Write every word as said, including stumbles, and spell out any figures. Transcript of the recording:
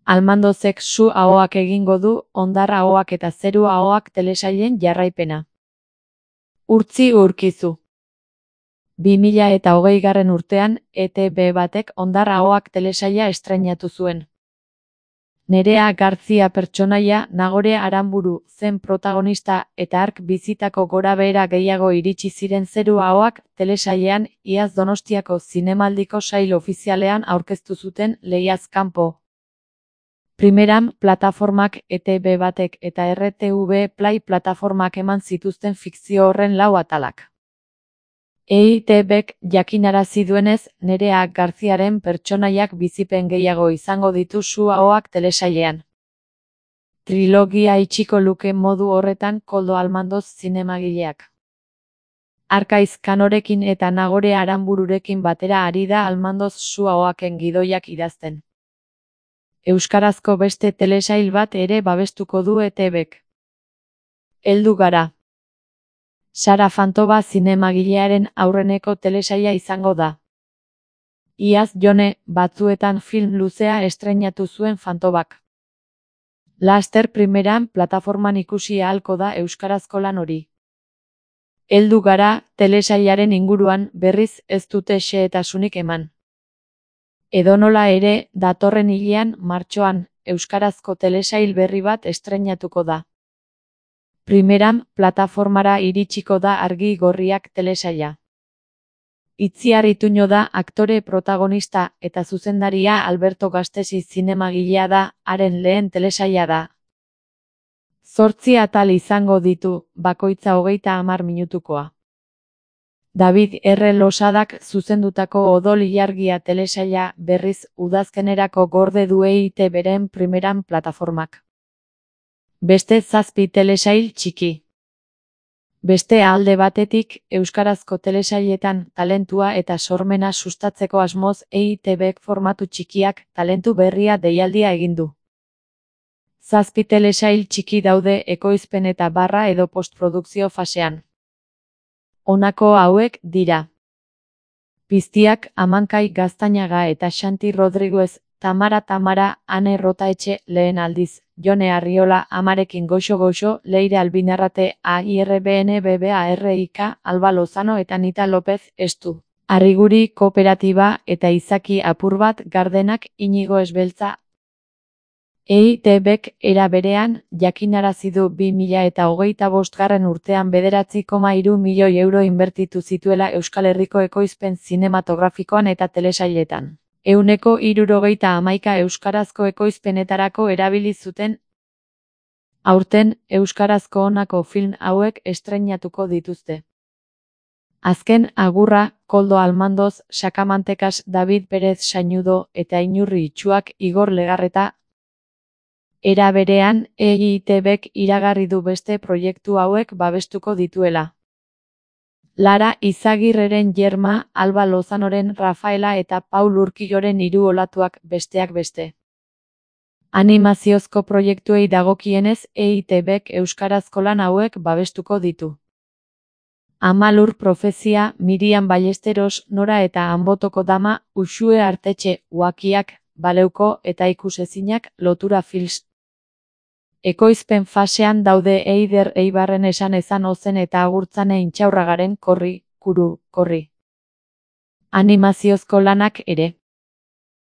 Almandozek Su Ahoak egingo du Hondar Ahoak eta Zeru Ahoak telesailen jarraipena. Urtzi Urkizu. bi mila eta hogeigarren urtean, E T B batek Hondar Ahoak telesaila estreinatu zuen. Nerea Garzia pertsonaia Nagore Aranburu zen protagonista eta hark bizitako gorabehera gehiago iritsi ziren Zeru Ahoak telesailean iaz Donostiako Zinemaldiko sail ofizialean aurkeztu zuten lehiaz kanpo. Primeran, plataformak E T B batek eta R T V Play plataformak eman zituzten fikzio horren lau atalak. E I T Bek jakinarazi duenez, Nerea Garziaren pertsonaiak bizipen gehiago izango ditu Su Ahoak telesailean. Trilogia itxiko luke modu horretan Koldo Almandoz zinemagileak. Arkaiz Kanorekin eta Nagore Aranbururekin batera ari da Almandoz Su Ahoaken gidoiak idazten. Euskarazko beste telesail bat ere babestuko du E T Bek. Heldu gara. Sara Fantoba zinemagilearen aurreneko telesaila izango da. Iaz Jone batzuetan film luzea estreinatu zuen Fantobak. Laster primeran plataforman ikusi ahalko da euskarazko lan hori. Heldu gara telesailaren inguruan berriz ez dute xehetasunik eman. Edonola ere, datorren hilean, martxoan, euskarazko telesail berri bat estreinatuko da. Primeran, plataformara iritsiko da Argi Gorriak telesaila. Itziar Ituño da aktore protagonista eta zuzendaria Alberto Gastesi zinemagilea da, haren lehen telesaila da. Zortzi atal izango ditu, bakoitza hogeita hamar minutukoa. David R. Losadak zuzendutako Odol Ilargia telesaila berriz udazkenerako gorde du E I T Beren primeran plataformak. Beste zazpi telesail txiki. Beste alde batetik, euskarazko telesailetan talentua eta sormena sustatzeko asmoz E I T Bek formatu txikiak talentu berria deialdia egin du. Zazpi telesail txiki daude ekoizpen eta barra edo postprodukzio fasean. Honako hauek dira. Piztiak Amankai Gaztañaga eta Xanti Rodriguez, Tamara Tamara, Ane Rotaetxe, lehen aldiz, Jone Arriola, Amarekin goxo-goxo, Leire Albinarrate, A I R B N B B A R I K, Alba Lozano eta Nita López, Estu. Arriguri Kooperatiba eta Izaki Apurbat Gardenak, Inigo Esbeltza. E I T Bek era berean, jakinarazi du bi mila eta hogeita bostgarren urtean bederatzi koma hiru milioi euro inbertitu zituela Euskal Herriko ekoizpen zinematografikoan eta telesailetan. Ehuneko hirurogeita hamaika euskarazko ekoizpenetarako erabili zuten. Aurten, euskarazko honako film hauek estreinatuko dituzte. Azken agurra, Koldo Almandoz, Sakamantekas, David Pérez Sañudo eta Inurri Itxuak, Igor Legarreta. Era berean, E I T Bek iragarri du beste proiektu hauek babestuko dituela. Lara Izagirreren Yerma, Alba Lozanoren Rafaela eta Paul Urquijoren Hiru olatuak besteak beste. Animaziozko proiektuei dagokienez, E I T Bek euskarazko lan hauek babestuko ditu. Amalur Profezia, Miriam Ballesteros, Nora eta Anbotoko Dama, Uxue Artetxe, Uakiak, Baleuko eta Ikusezinak, Lotura Films. Ekoizpen fasean daude Eider Eibarren Esan Ezan Ozen eta Agurtzane Intxaurragaren Korri, Kuru, Korri. Animaziozko lanak ere.